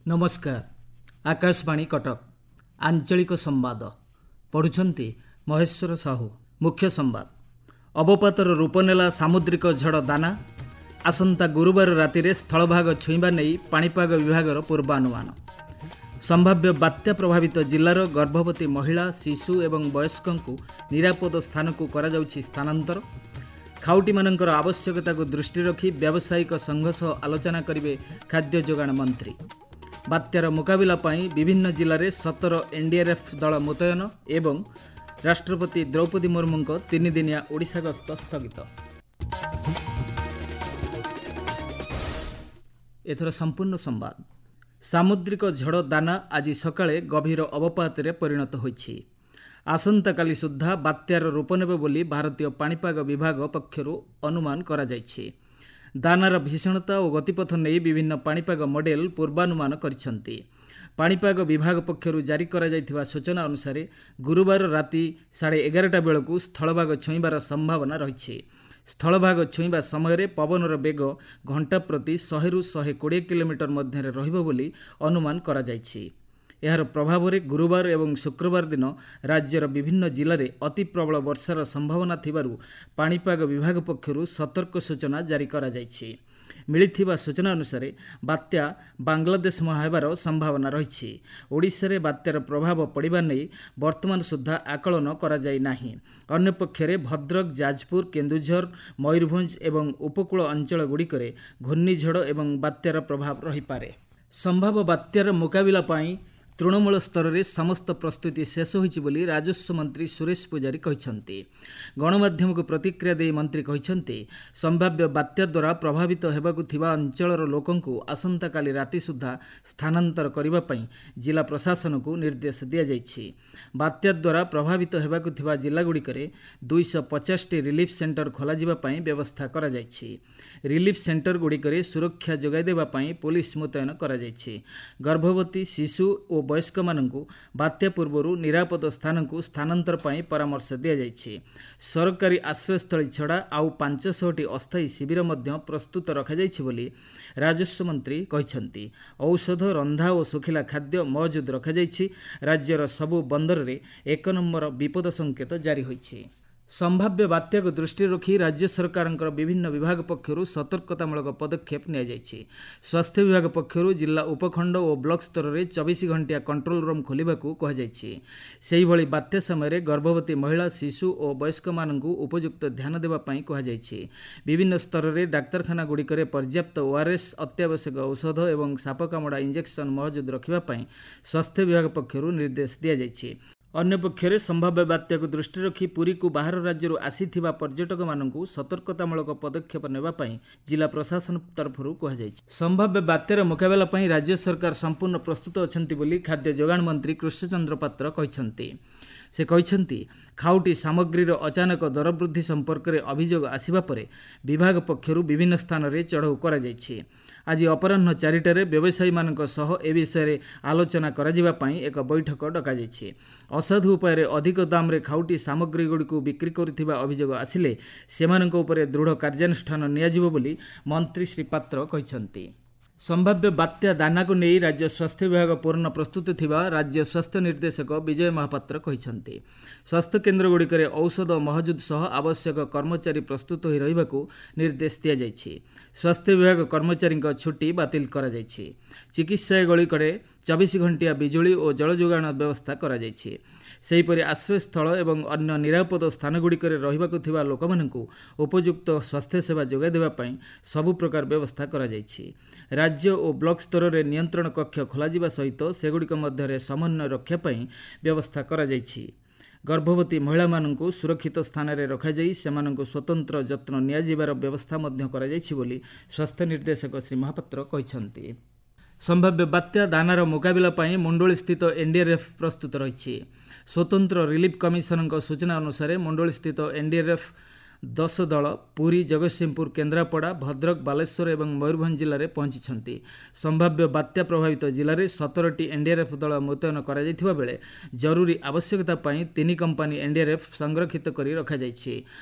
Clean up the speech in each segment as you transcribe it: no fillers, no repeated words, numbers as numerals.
ନମସ୍କାର, ଆକାଶବାଣୀ କଟକ, ଆଞ୍ଚଳିକ ସମ୍ବାଦ ପଢ଼ୁଛନ୍ତି ମହେଶ୍ୱର ସାହୁ। ମୁଖ୍ୟ ସମ୍ବାଦ। ଅବପାତର ରୂପ ନେଲା ସାମୁଦ୍ରିକ ଝଡ଼ ଦାନା। ଆସନ୍ତା ଗୁରୁବାର ରାତିରେ ସ୍ଥଳଭାଗ ଛୁଇଁବା ନେଇ ପାଣିପାଗ ବିଭାଗର ପୂର୍ବାନୁମାନ। ସମ୍ଭାବ୍ୟ ବାତ୍ୟା ପ୍ରଭାବିତ ଜିଲ୍ଲାର ଗର୍ଭବତୀ ମହିଳା, ଶିଶୁ ଏବଂ ବୟସ୍କଙ୍କୁ ନିରାପଦ ସ୍ଥାନକୁ କରାଯାଉଛି ସ୍ଥାନାନ୍ତର। ଖାଉଟିମାନଙ୍କର ଆବଶ୍ୟକତାକୁ ଦୃଷ୍ଟିରେ ରଖି ବ୍ୟାବସାୟିକ ସଂଘ ସହ ଆଲୋଚନା କରିବେ ଖାଦ୍ୟ ଯୋଗାଣ ମନ୍ତ୍ରୀ। ବାତ୍ୟାର ମୁକାବିଲା ପାଇଁ ବିଭିନ୍ନ ଜିଲ୍ଲାରେ 17 ଏନ୍ଡିଆର୍ଏଫ୍ ଦଳ ମୁତୟନ ଏବଂ ରାଷ୍ଟ୍ରପତି ଦ୍ରୌପଦୀ ମୁର୍ମୁଙ୍କ ତିନିଦିନିଆ ଓଡ଼ିଶା ଗସ୍ତ ସ୍ଥଗିତ। ଏଥର ସମ୍ପୂର୍ଣ୍ଣ ସମ୍ବାଦ। ସାମୁଦ୍ରିକ ଝଡ଼ ଦାନା ଆଜି ସକାଳେ ଗଭୀର ଅବପାତରେ ପରିଣତ ହୋଇଛି। ଆସନ୍ତାକାଲି ସୁଦ୍ଧା ବାତ୍ୟାର ରୂପ ନେବ ବୋଲି ଭାରତୀୟ ପାଣିପାଗ ବିଭାଗ ପକ୍ଷରୁ ଅନୁମାନ କରାଯାଇଛି। ଦାନାର ଭୀଷଣତା ଓ ଗତିପଥ ନେଇ ବିଭିନ୍ନ ପାଣିପାଗ ମଡେଲ ପୂର୍ବାନୁମାନ କରିଛନ୍ତି। ପାଣିପାଗ ବିଭାଗ ପକ୍ଷରୁ ଜାରି କରାଯାଇଥିବା ସୂଚନା ଅନୁସାରେ ଗୁରୁବାର ରାତି 11:30 ବେଳକୁ ସ୍ଥଳଭାଗ ଛୁଇଁବାର ସମ୍ଭାବନା ରହିଛି। ସ୍ଥଳଭାଗ ଛୁଇଁବା ସମୟରେ ପବନର ବେଗ ଘଣ୍ଟା ପ୍ରତି 100ରୁ 120 କିଲୋମିଟର ମଧ୍ୟରେ ରହିବ ବୋଲି ଅନୁମାନ କରାଯାଇଛି। ଏହାର ପ୍ରଭାବରେ ଗୁରୁବାର ଏବଂ ଶୁକ୍ରବାର ଦିନ ରାଜ୍ୟର ବିଭିନ୍ନ ଜିଲ୍ଲାରେ ଅତି ପ୍ରବଳ ବର୍ଷାର ସମ୍ଭାବନା ଥିବାରୁ ପାଣିପାଗ ବିଭାଗ ପକ୍ଷରୁ ସତର୍କ ସୂଚନା ଜାରି କରାଯାଇଛି। ମିଳିଥିବା ସୂଚନା ଅନୁସାରେ ବାତ୍ୟା ବାଂଲାଦେଶ ମୁହାଁ ହେବାର ସମ୍ଭାବନା ରହିଛି। ଓଡ଼ିଶାରେ ବାତ୍ୟାର ପ୍ରଭାବ ପଡ଼ିବା ନେଇ ବର୍ତ୍ତମାନ ସୁଦ୍ଧା ଆକଳନ କରାଯାଇ ନାହିଁ। ଅନ୍ୟପକ୍ଷରେ ଭଦ୍ରକ, ଯାଜପୁର, କେନ୍ଦୁଝର, ମୟୂରଭଞ୍ଜ ଏବଂ ଉପକୂଳ ଅଞ୍ଚଳଗୁଡ଼ିକରେ ଘୂର୍ଣ୍ଣିଝଡ଼ ଏବଂ ବାତ୍ୟାର ପ୍ରଭାବ ରହିପାରେ। ସମ୍ଭାବ୍ୟ ବାତ୍ୟାର ମୁକାବିଲା ପାଇଁ ତୃଣମୂଳ ସ୍ତରରେ ସମସ୍ତ ପ୍ରସ୍ତୁତି ଶେଷ ହୋଇଛି ବୋଲି ରାଜସ୍ୱ ମନ୍ତ୍ରୀ ସୁରେଶ ପୂଜାରୀ କହିଛନ୍ତି। ଗଣମାଧ୍ୟମକୁ ପ୍ରତିକ୍ରିୟା ଦେଇ ମନ୍ତ୍ରୀ କହିଛନ୍ତି, ସମ୍ଭାବ୍ୟ ବାତ୍ୟା ଦ୍ୱାରା ପ୍ରଭାବିତ ହେବାକୁ ଥିବା ଅଞ୍ଚଳର ଲୋକଙ୍କୁ ଆସନ୍ତାକାଲି ରାତି ସୁଦ୍ଧା ସ୍ଥାନାନ୍ତର କରିବା ପାଇଁ ଜିଲ୍ଲା ପ୍ରଶାସନକୁ ନିର୍ଦ୍ଦେଶ ଦିଆଯାଇଛି। ବାତ୍ୟା ଦ୍ୱାରା ପ୍ରଭାବିତ ହେବାକୁ ଥିବା ଜିଲ୍ଲାଗୁଡ଼ିକରେ 250ଟି ରିଲିଫ୍ ସେଣ୍ଟର ଖୋଲାଯିବା ପାଇଁ ବ୍ୟବସ୍ଥା କରାଯାଇଛି। ରିଲିଫ୍ ସେଣ୍ଟରଗୁଡ଼ିକରେ ସୁରକ୍ଷା ଯୋଗାଇ ଦେବା ପାଇଁ ପୋଲିସ ମୁତୟନ କରାଯାଇଛି। ଗର୍ଭବତୀ, ଶିଶୁ ଓ ବୟସ୍କମାନଙ୍କୁ ବାତ୍ୟା ପୂର୍ବରୁ ନିରାପଦ ସ୍ଥାନକୁ ସ୍ଥାନାନ୍ତର ପାଇଁ ପରାମର୍ଶ ଦିଆଯାଇଛି। ସରକାରୀ ଆଶ୍ରୟସ୍ଥଳୀ ଛଡ଼ା ଆଉ 500ଟି ଅସ୍ଥାୟୀ ଶିବିର ମଧ୍ୟ ପ୍ରସ୍ତୁତ ରଖାଯାଇଛି ବୋଲି ରାଜସ୍ୱ ମନ୍ତ୍ରୀ କହିଛନ୍ତି। ଔଷଧ, ରନ୍ଧା ଓ ଶୁଖିଲା ଖାଦ୍ୟ ମହଜୁଦ ରଖାଯାଇଛି। ରାଜ୍ୟର ସବୁ ବନ୍ଦରରେ 1 ନମ୍ବର ବିପଦ ସଂକେତ ଜାରି ହୋଇଛି। ସମ୍ଭାବ୍ୟ ବାତ୍ୟାକୁ ଦୃଷ୍ଟିରେ ରଖି ରାଜ୍ୟ ସରକାରଙ୍କର ବିଭିନ୍ନ ବିଭାଗ ପକ୍ଷରୁ ସତର୍କତାମୂଳକ ପଦକ୍ଷେପ ନିଆଯାଇଛି। ସ୍ୱାସ୍ଥ୍ୟ ବିଭାଗ ପକ୍ଷରୁ ଜିଲ୍ଲା, ଉପଖଣ୍ଡ ଓ ବ୍ଲକ ସ୍ତରରେ 24 ଘଣ୍ଟିଆ କଣ୍ଟ୍ରୋଲ ରୁମ୍ ଖୋଲିବାକୁ କୁହାଯାଇଛି। ସେହିଭଳି ବାତ୍ୟା ସମୟରେ ଗର୍ଭବତୀ ମହିଳା, ଶିଶୁ ଓ ବୟସ୍କମାନଙ୍କୁ ଉପଯୁକ୍ତ ଧ୍ୟାନ ଦେବା ପାଇଁ କୁହାଯାଇଛି। ବିଭିନ୍ନ ସ୍ତରରେ ଡାକ୍ତରଖାନାଗୁଡ଼ିକରେ ପର୍ଯ୍ୟାପ୍ତ ଓଆର୍ଏସ୍, ଅତ୍ୟାବଶ୍ୟକ ଔଷଧ ଏବଂ ସାପ କାମୁଡ଼ା ଇଞ୍ଜେକ୍ସନ୍ ମହଜୁଦ ରଖିବା ପାଇଁ ସ୍ୱାସ୍ଥ୍ୟ ବିଭାଗ ପକ୍ଷରୁ ନିର୍ଦ୍ଦେଶ ଦିଆଯାଇଛି। ଅନ୍ୟପକ୍ଷରେ ସମ୍ଭାବ୍ୟ ବାତ୍ୟାକୁ ଦୃଷ୍ଟିରେ ରଖି ପୁରୀକୁ ବାହାର ରାଜ୍ୟରୁ ଆସିଥିବା ପର୍ଯ୍ୟଟକମାନଙ୍କୁ ସତର୍କତାମୂଳକ ପଦକ୍ଷେପ ନେବା ପାଇଁ ଜିଲ୍ଲା ପ୍ରଶାସନ ତରଫରୁ କୁହାଯାଇଛି। ସମ୍ଭାବ୍ୟ ବାତ୍ୟାର ମୁକାବିଲା ପାଇଁ ରାଜ୍ୟ ସରକାର ସମ୍ପୂର୍ଣ୍ଣ ପ୍ରସ୍ତୁତ ଅଛନ୍ତି ବୋଲି ଖାଦ୍ୟ ଯୋଗାଣ ମନ୍ତ୍ରୀ କୃଷ୍ଣଚନ୍ଦ୍ର ପାତ୍ର କହିଛନ୍ତି। ସେ କହିଛନ୍ତି, ଖାଉଟି ସାମଗ୍ରୀର ଅଚାନକ ଦରବୃଦ୍ଧି ସମ୍ପର୍କରେ ଅଭିଯୋଗ ଆସିବା ପରେ ବିଭାଗ ପକ୍ଷରୁ ବିଭିନ୍ନ ସ୍ଥାନରେ ଚଢ଼ଉ କରାଯାଇଛି। ଆଜି ଅପରାହ୍ନ 4ଟାରେ ବ୍ୟବସାୟୀମାନଙ୍କ ସହ ଏ ବିଷୟରେ ଆଲୋଚନା କରାଯିବା ପାଇଁ ଏକ ବୈଠକ ଡକାଯାଇଛି। ଅସାଧୁ ଉପାୟରେ ଅଧିକ ଦାମରେ ଖାଉଟି ସାମଗ୍ରୀଗୁଡ଼ିକୁ ବିକ୍ରି କରୁଥିବା ଅଭିଯୋଗ ଆସିଲେ ସେମାନଙ୍କ ଉପରେ ଦୃଢ଼ କାର୍ଯ୍ୟାନୁଷ୍ଠାନ ନିଆଯିବ ବୋଲି ମନ୍ତ୍ରୀ ଶ୍ରୀ ପାତ୍ର କହିଛନ୍ତି। ସମ୍ଭାବ୍ୟ ବାତ୍ୟା ଦାନାକୁ ନେଇ ରାଜ୍ୟ ସ୍ୱାସ୍ଥ୍ୟ ବିଭାଗ ପୂର୍ଣ୍ଣ ପ୍ରସ୍ତୁତ ଥିବା ରାଜ୍ୟ ସ୍ୱାସ୍ଥ୍ୟ ନିର୍ଦ୍ଦେଶକ ବିଜୟ ମହାପାତ୍ର କହିଛନ୍ତି। ସ୍ୱାସ୍ଥ୍ୟ କେନ୍ଦ୍ରଗୁଡ଼ିକରେ ଔଷଧ ମହଜୁଦ ସହ ଆବଶ୍ୟକ କର୍ମଚାରୀ ପ୍ରସ୍ତୁତ ହୋଇ ରହିବାକୁ ନିର୍ଦ୍ଦେଶ ଦିଆଯାଇଛି। ସ୍ୱାସ୍ଥ୍ୟ ବିଭାଗ କର୍ମଚାରୀଙ୍କ ଛୁଟି ବାତିଲ କରାଯାଇଛି। ଚିକିତ୍ସାଳୟଗୁଡ଼ିକରେ 24 ଘଣ୍ଟିଆ ବିଜୁଳି ଓ ଜଳ ଯୋଗାଣ ବ୍ୟବସ୍ଥା କରାଯାଇଛି। ସେହିପରି ଆଶ୍ରୟସ୍ଥଳ ଏବଂ ଅନ୍ୟ ନିରାପଦ ସ୍ଥାନଗୁଡ଼ିକରେ ରହିବାକୁ ଥିବା ଲୋକମାନଙ୍କୁ ଉପଯୁକ୍ତ ସ୍ୱାସ୍ଥ୍ୟସେବା ଯୋଗାଇ ଦେବା ପାଇଁ ସବୁ ପ୍ରକାର ବ୍ୟବସ୍ଥା କରାଯାଇଛି। ରାଜ୍ୟ ଓ ବ୍ଲକ ସ୍ତରରେ ନିୟନ୍ତ୍ରଣ କକ୍ଷ ଖୋଲାଯିବା ସହିତ ସେଗୁଡ଼ିକ ମଧ୍ୟରେ ସମନ୍ୱୟ ରକ୍ଷା ପାଇଁ ବ୍ୟବସ୍ଥା କରାଯାଇଛି। ଗର୍ଭବତୀ ମହିଳାମାନଙ୍କୁ ସୁରକ୍ଷିତ ସ୍ଥାନରେ ରଖାଯାଇ ସେମାନଙ୍କୁ ସ୍ୱତନ୍ତ୍ର ଯତ୍ନ ନିଆଯିବାର ବ୍ୟବସ୍ଥା ମଧ୍ୟ କରାଯାଇଛି ବୋଲି ସ୍ୱାସ୍ଥ୍ୟ ନିର୍ଦ୍ଦେଶକ ଶ୍ରୀ ମହାପାତ୍ର କହିଛନ୍ତି। ସମ୍ଭାବ୍ୟ ବାତ୍ୟା ଦାନାର ମୁକାବିଲା ପାଇଁ ମୁଣ୍ଡୋଳିସ୍ଥିତ ଏନ୍ଡିଆର୍ଏଫ୍ ପ୍ରସ୍ତୁତ ରହିଛି। ସ୍ୱତନ୍ତ୍ର ରିଲିଫ୍ କମିଶନଙ୍କ ସୂଚନା ଅନୁସାରେ ମୁଣ୍ଡୋଳିସ୍ଥିତ ଏନ୍ଡିଆର୍ଏଫ୍ 10 ଦଳ ପୁରୀ, ଜଗତସିଂହପୁର, କେନ୍ଦ୍ରାପଡ଼ା, ଭଦ୍ରକ, ବାଲେଶ୍ୱର ଏବଂ ମୟୂରଭଞ୍ଜ ଜିଲ୍ଲାରେ ପହଞ୍ଚିଛନ୍ତି। ସମ୍ଭାବ୍ୟ ବାତ୍ୟା ପ୍ରଭାବିତ ଜିଲ୍ଲାରେ 17ଟି ଏନ୍ଡିଆର୍ଏଫ୍ ଦଳ ମୁତୟନ କରାଯାଇଥିବା ବେଳେ ଜରୁରୀ ଆବଶ୍ୟକତା ପାଇଁ 3 କମ୍ପାନୀ ଏନ୍ଡିଆର୍ଏଫ୍ ସଂରକ୍ଷିତ କରି ରଖାଯାଇଛି।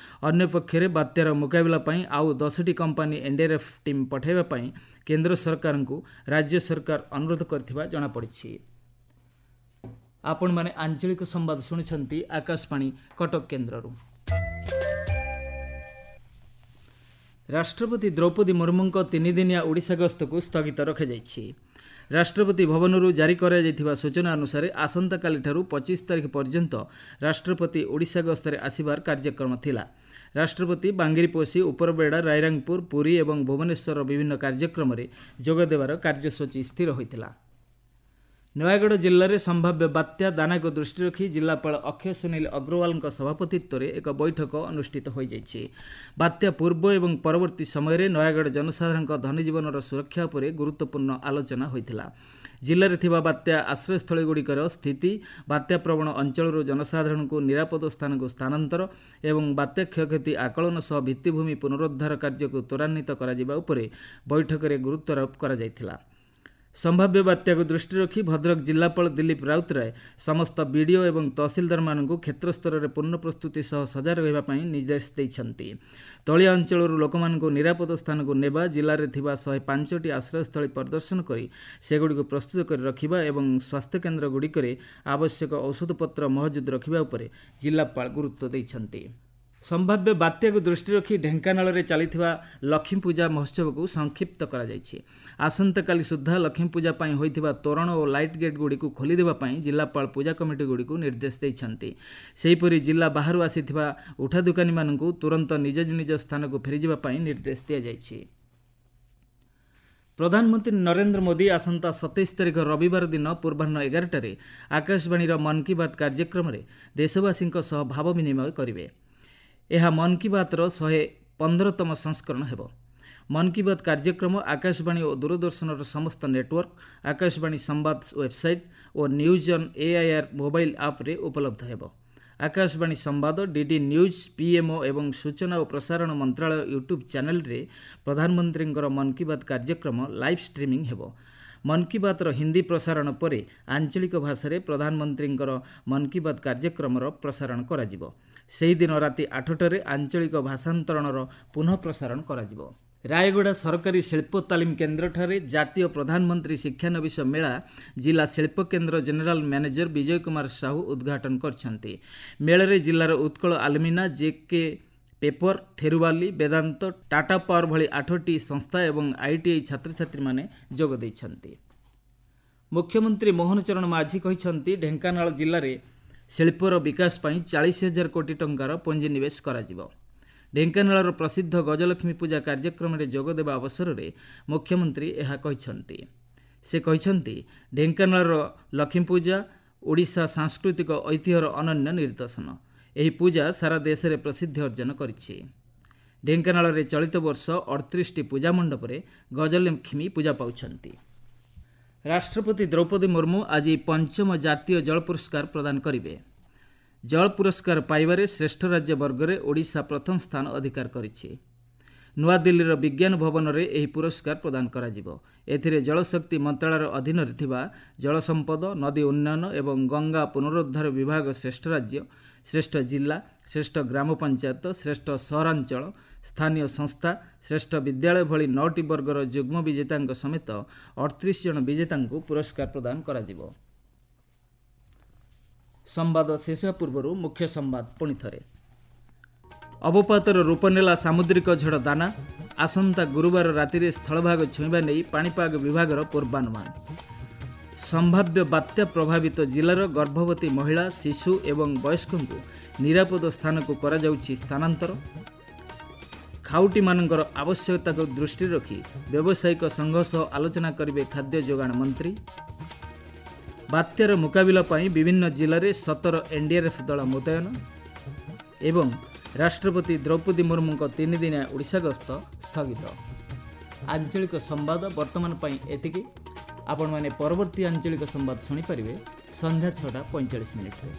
ଅନ୍ୟପକ୍ଷରେ ବାତ୍ୟାର ମୁକାବିଲା ପାଇଁ ଆଉ 10ଟି କମ୍ପାନୀ ଏନ୍ଡିଆର୍ଏଫ୍ ଟିମ୍ ପଠାଇବା ପାଇଁ କେନ୍ଦ୍ର ସରକାରଙ୍କୁ ରାଜ୍ୟ ସରକାର ଅନୁରୋଧ କରିଥିବା ଜଣାପଡ଼ିଛି। ଆପଣମାନେ ଆଞ୍ଚଳିକ ସମ୍ବାଦ ଶୁଣୁଛନ୍ତି ଆକାଶବାଣୀ କଟକ କେନ୍ଦ୍ରରୁ। ରାଷ୍ଟ୍ରପତି ଦ୍ରୌପଦୀ ମୁର୍ମୁଙ୍କ 3 ଦିନିଆ ଓଡ଼ିଶା ଗସ୍ତକୁ ସ୍ଥଗିତ ରଖାଯାଇଛି। ରାଷ୍ଟ୍ରପତି ଭବନରୁ ଜାରି କରାଯାଇଥିବା ସୂଚନା ଅନୁସାରେ ଆସନ୍ତାକାଲିଠାରୁ 25 ତାରିଖ ପର୍ଯ୍ୟନ୍ତ ରାଷ୍ଟ୍ରପତି ଓଡ଼ିଶା ଗସ୍ତରେ ଆସିବାର କାର୍ଯ୍ୟକ୍ରମ ଥିଲା। ରାଷ୍ଟ୍ରପତି ବାଙ୍ଗିରିପୋଷି, ଉପରବେଡ଼ା, ରାଇରଙ୍ଗପୁର, ପୁରୀ ଏବଂ ଭୁବନେଶ୍ୱରର ବିଭିନ୍ନ କାର୍ଯ୍ୟକ୍ରମରେ ଯୋଗଦେବାର କାର୍ଯ୍ୟସୂଚୀ ସ୍ଥିର ହୋଇଥିଲା। ନୟାଗଡ଼ ଜିଲ୍ଲାରେ ସମ୍ଭାବ୍ୟ ବାତ୍ୟା ଦାନାକୁ ଦୃଷ୍ଟିରେ ରଖି ଜିଲ୍ଲାପାଳ ଅକ୍ଷୟ ସୁନୀଲ ଅଗ୍ରୱାଲଙ୍କ ସଭାପତିତ୍ୱରେ ଏକ ବୈଠକ ଅନୁଷ୍ଠିତ ହୋଇଯାଇଛି। ବାତ୍ୟା ପୂର୍ବ ଏବଂ ପରବର୍ତ୍ତୀ ସମୟରେ ନୟାଗଡ଼ ଜନସାଧାରଣଙ୍କ ଧନଜୀବନର ସୁରକ୍ଷା ଉପରେ ଗୁରୁତ୍ୱପୂର୍ଣ୍ଣ ଆଲୋଚନା ହୋଇଥିଲା। ଜିଲ୍ଲାରେ ଥିବା ବାତ୍ୟା ଆଶ୍ରୟସ୍ଥଳୀଗୁଡ଼ିକର ସ୍ଥିତି, ବାତ୍ୟାପ୍ରବଣ ଅଞ୍ଚଳରୁ ଜନସାଧାରଣଙ୍କୁ ନିରାପଦ ସ୍ଥାନକୁ ସ୍ଥାନାନ୍ତର ଏବଂ ବାତ୍ୟା କ୍ଷୟକ୍ଷତି ଆକଳନ ସହ ଭିତ୍ତିଭୂମି ପୁନରୁଦ୍ଧାର କାର୍ଯ୍ୟକୁ ତ୍ୱରାନ୍ୱିତ କରାଯିବା ଉପରେ ବୈଠକରେ ଗୁରୁତ୍ୱାରୋପ କରାଯାଇଥିଲା। ସମ୍ଭାବ୍ୟ ବାତ୍ୟାକୁ ଦୃଷ୍ଟିରେ ରଖି ଭଦ୍ରକ ଜିଲ୍ଲାପାଳ ଦିଲ୍ଲୀପ ରାଉତରାୟ ସମସ୍ତ ବିଡିଓ ଏବଂ ତହସିଲଦାରମାନଙ୍କୁ କ୍ଷେତ୍ରସ୍ତରରେ ପୂର୍ଣ୍ଣ ପ୍ରସ୍ତୁତି ସହ ସଜାଗ ରହିବା ପାଇଁ ନିର୍ଦ୍ଦେଶ ଦେଇଛନ୍ତି। ତଳିଆ ଅଞ୍ଚଳରୁ ଲୋକମାନଙ୍କୁ ନିରାପଦ ସ୍ଥାନକୁ ନେବା, ଜିଲ୍ଲାରେ ଥିବା 105ଟି ଆଶ୍ରୟସ୍ଥଳୀ ପରିଦର୍ଶନ କରି ସେଗୁଡ଼ିକୁ ପ୍ରସ୍ତୁତ କରି ରଖିବା ଏବଂ ସ୍ୱାସ୍ଥ୍ୟକେନ୍ଦ୍ରଗୁଡ଼ିକରେ ଆବଶ୍ୟକ ଔଷଧପତ୍ର ମହଜୁଦ ରଖିବା ଉପରେ ଜିଲ୍ଲାପାଳ ଗୁରୁତ୍ୱ ଦେଇଛନ୍ତି। ସମ୍ଭାବ୍ୟ ବାତ୍ୟାକୁ ଦୃଷ୍ଟିରେ ରଖି ଢେଙ୍କାନାଳରେ ଚାଲିଥିବା ଲକ୍ଷ୍ମୀପୂଜା ମହୋତ୍ସବକୁ ସଂକ୍ଷିପ୍ତ କରାଯାଇଛି। ଆସନ୍ତାକାଲି ସୁଦ୍ଧା ଲକ୍ଷ୍ମୀପୂଜା ପାଇଁ ହୋଇଥିବା ତୋରଣ ଓ ଲାଇଟ୍ ଗେଟ୍ଗୁଡ଼ିକୁ ଖୋଲିଦେବା ପାଇଁ ଜିଲ୍ଲାପାଳ ପୂଜା କମିଟିଗୁଡ଼ିକୁ ନିର୍ଦ୍ଦେଶ ଦେଇଛନ୍ତି। ସେହିପରି ଜିଲ୍ଲା ବାହାରୁ ଆସିଥିବା ଉଠା ଦୋକାନୀମାନଙ୍କୁ ତୁରନ୍ତ ନିଜ ନିଜ ସ୍ଥାନକୁ ଫେରିଯିବା ପାଇଁ ନିର୍ଦ୍ଦେଶ ଦିଆଯାଇଛି। ପ୍ରଧାନମନ୍ତ୍ରୀ ନରେନ୍ଦ୍ର ମୋଦି ଆସନ୍ତା 27 ତାରିଖ ରବିବାର ଦିନ ପୂର୍ବାହ୍ନ 11ଟାରେ ଆକାଶବାଣୀର ମନ୍ କି ବାତ୍ କାର୍ଯ୍ୟକ୍ରମରେ ଦେଶବାସୀଙ୍କ ସହ ଭାବ ବିନିମୟ କରିବେ। ଏହା ମନ୍ କି ବାତ୍ର 115ତମ ସଂସ୍କରଣ ହେବ। ମନ୍ କି ବାତ୍ କାର୍ଯ୍ୟକ୍ରମ ଆକାଶବାଣୀ ଓ ଦୂରଦର୍ଶନର ସମସ୍ତ ନେଟୱାର୍କ, ଆକାଶବାଣୀ ସମ୍ବାଦ website O news on AIR mobile ଆପ୍ରେ ଉପଲବ୍ଧ ହେବ। ଆକାଶବାଣୀ ସମ୍ବାଦ, ଡିଡି ନ୍ୟୁଜ୍, ପିଏମ୍ଓ ଏବଂ ସୂଚନା ଓ ପ୍ରସାରଣ ମନ୍ତ୍ରାଳୟ ୟୁଟ୍ୟୁବ୍ ଚ୍ୟାନେଲରେ ପ୍ରଧାନମନ୍ତ୍ରୀଙ୍କର ମନ୍ କି ବାତ୍ କାର୍ଯ୍ୟକ୍ରମ ଲାଇଭ୍ ଷ୍ଟ୍ରିମିଂ ହେବ। ମନ୍ କି ବାତ୍ର ହିନ୍ଦୀ ପ୍ରସାରଣ ପରେ ଆଞ୍ଚଳିକ ଭାଷାରେ ପ୍ରଧାନମନ୍ତ୍ରୀଙ୍କର ମନ୍ କି ବାତ୍ କାର୍ଯ୍ୟକ୍ରମର ପ୍ରସାରଣ କରାଯିବ। ସେହିଦିନ ରାତି 8ଟାରେ ଆଞ୍ଚଳିକ ଭାଷାନ୍ତରଣର ପୁନଃ ପ୍ରସାରଣ କରାଯିବ। ରାୟଗଡ଼ା ସରକାରୀ ଶିଳ୍ପ ତାଲିମ କେନ୍ଦ୍ରଠାରେ ଜାତୀୟ ପ୍ରଧାନମନ୍ତ୍ରୀ ଶିକ୍ଷାନବିଶ ମେଳା ଜିଲ୍ଲା ଶିଳ୍ପ କେନ୍ଦ୍ର ଜେନେରାଲ ମ୍ୟାନେଜର ବିଜୟ କୁମାର ସାହୁ ଉଦ୍ଘାଟନ କରିଛନ୍ତି। ମେଳାରେ ଜିଲ୍ଲାର Utkal Alumina, J K Paper, Therubali, Vedanta, Tata Power ଭଳି 8ଟି ସଂସ୍ଥା ଏବଂ ଆଇଟିଆଇ ଛାତ୍ରଛାତ୍ରୀମାନେ ଯୋଗ ଦେଇଛନ୍ତି। ମୁଖ୍ୟମନ୍ତ୍ରୀ ମୋହନ ଚରଣ ମାଝୀ କହିଛନ୍ତି, ଢେଙ୍କାନାଳ ଜିଲ୍ଲାରେ ଶିଳ୍ପର ବିକାଶ ପାଇଁ 40,000 କୋଟି ଟଙ୍କାର ପୁଞ୍ଜିନିବେଶ କରାଯିବ। ଢେଙ୍କାନାଳର ପ୍ରସିଦ୍ଧ ଗଜଲକ୍ଷ୍ମୀ ପୂଜା କାର୍ଯ୍ୟକ୍ରମରେ ଯୋଗଦେବା ଅବସରରେ ମୁଖ୍ୟମନ୍ତ୍ରୀ ଏହା କହିଛନ୍ତି। ସେ କହିଛନ୍ତି, ଢେଙ୍କାନାଳର ଲକ୍ଷ୍ମୀପୂଜା ଓଡ଼ିଶା ସାଂସ୍କୃତିକ ଐତିହ୍ୟର ଅନନ୍ୟ ନିଦର୍ଶନ। ଏହି ପୂଜା ସାରା ଦେଶରେ ପ୍ରସିଦ୍ଧି ଅର୍ଜନ କରିଛି। ଢେଙ୍କାନାଳରେ ଚଳିତ ବର୍ଷ 38ଟି ପୂଜା ମଣ୍ଡପରେ ଗଜଲକ୍ଷ୍ମୀ ପୂଜା ପାଉଛନ୍ତି। ରାଷ୍ଟ୍ରପତି ଦ୍ରୌପଦୀ ମୁର୍ମୁ ଆଜି ପଞ୍ଚମ ଜାତୀୟ ଜଳ ପୁରସ୍କାର ପ୍ରଦାନ କରିବେ। ଜଳ ପୁରସ୍କାର ପାଇବାରେ ଶ୍ରେଷ୍ଠ ରାଜ୍ୟ ବର୍ଗରେ ଓଡ଼ିଶା ପ୍ରଥମ ସ୍ଥାନ ଅଧିକାର କରିଛି। ନୂଆଦିଲ୍ଲୀର ବିଜ୍ଞାନ ଭବନରେ ଏହି ପୁରସ୍କାର ପ୍ରଦାନ କରାଯିବ। ଏଥିରେ ଜଳଶକ୍ତି ମନ୍ତ୍ରଣାଳୟ ଅଧୀନରେ ଥିବା ଜଳସମ୍ପଦ, ନଦୀ ଉନ୍ନୟନ ଏବଂ ଗଙ୍ଗା ପୁନରୁଦ୍ଧାର ବିଭାଗ ଶ୍ରେଷ୍ଠ ରାଜ୍ୟ, ଶ୍ରେଷ୍ଠ ଜିଲ୍ଲା, ଶ୍ରେଷ୍ଠ ଗ୍ରାମ ପଞ୍ଚାୟତ, ଶ୍ରେଷ୍ଠ ସହରାଞ୍ଚଳ ସ୍ଥାନୀୟ ସଂସ୍ଥା, ଶ୍ରେଷ୍ଠ ବିଦ୍ୟାଳୟ ଭଳି 9ଟି ବର୍ଗର ଯୁଗ୍ମ ବିଜେତାଙ୍କ ସମେତ 38 ଜଣ ବିଜେତାଙ୍କୁ ପୁରସ୍କାର ପ୍ରଦାନ କରାଯିବ। ସମ୍ବାଦ ଶେଷ ହେବା ପୂର୍ବରୁ ମୁଖ୍ୟ ସମ୍ବାଦ ପୁଣି ଥରେ। ଅବପାତର ରୂପ ନେଲା ସାମୁଦ୍ରିକ ଝଡ଼ ଦାନା। ଆସନ୍ତା ଗୁରୁବାର ରାତିରେ ସ୍ଥଳଭାଗ ଛୁଇଁବା ନେଇ ପାଣିପାଗ ବିଭାଗର ପୂର୍ବାନୁମାନ। ସମ୍ଭାବ୍ୟ ବାତ୍ୟା ପ୍ରଭାବିତ ଜିଲ୍ଲାର ଗର୍ଭବତୀ ମହିଳା, ଶିଶୁ ଏବଂ ବୟସ୍କଙ୍କୁ ନିରାପଦ ସ୍ଥାନକୁ କରାଯାଉଛି ସ୍ଥାନାନ୍ତର। ଖାଉଟିମାନଙ୍କର ଆବଶ୍ୟକତାକୁ ଦୃଷ୍ଟିରେ ରଖି ବ୍ୟବସାୟିକ ସଂଘ ସହ ଆଲୋଚନା କରିବେ ଖାଦ୍ୟ ଯୋଗାଣ ମନ୍ତ୍ରୀ। ବାତ୍ୟାର ମୁକାବିଲା ପାଇଁ ବିଭିନ୍ନ ଜିଲ୍ଲାରେ 17 ଏନ୍ଡିଆର୍ଏଫ୍ ଦଳ ମୁତୟନ। ଏବଂ ରାଷ୍ଟ୍ରପତି ଦ୍ରୌପଦୀ ମୁର୍ମୁଙ୍କ 3 ଦିନିଆ ଓଡ଼ିଶା ଗସ୍ତ ସ୍ଥଗିତ। ଆଞ୍ଚଳିକ ସମ୍ବାଦ ବର୍ତ୍ତମାନ ପାଇଁ ଏତିକି। ଆପଣମାନେ ପରବର୍ତ୍ତୀ ଆଞ୍ଚଳିକ ସମ୍ବାଦ ଶୁଣିପାରିବେ ସନ୍ଧ୍ୟା 6ଟା 45 ମିନିଟ୍ରେ।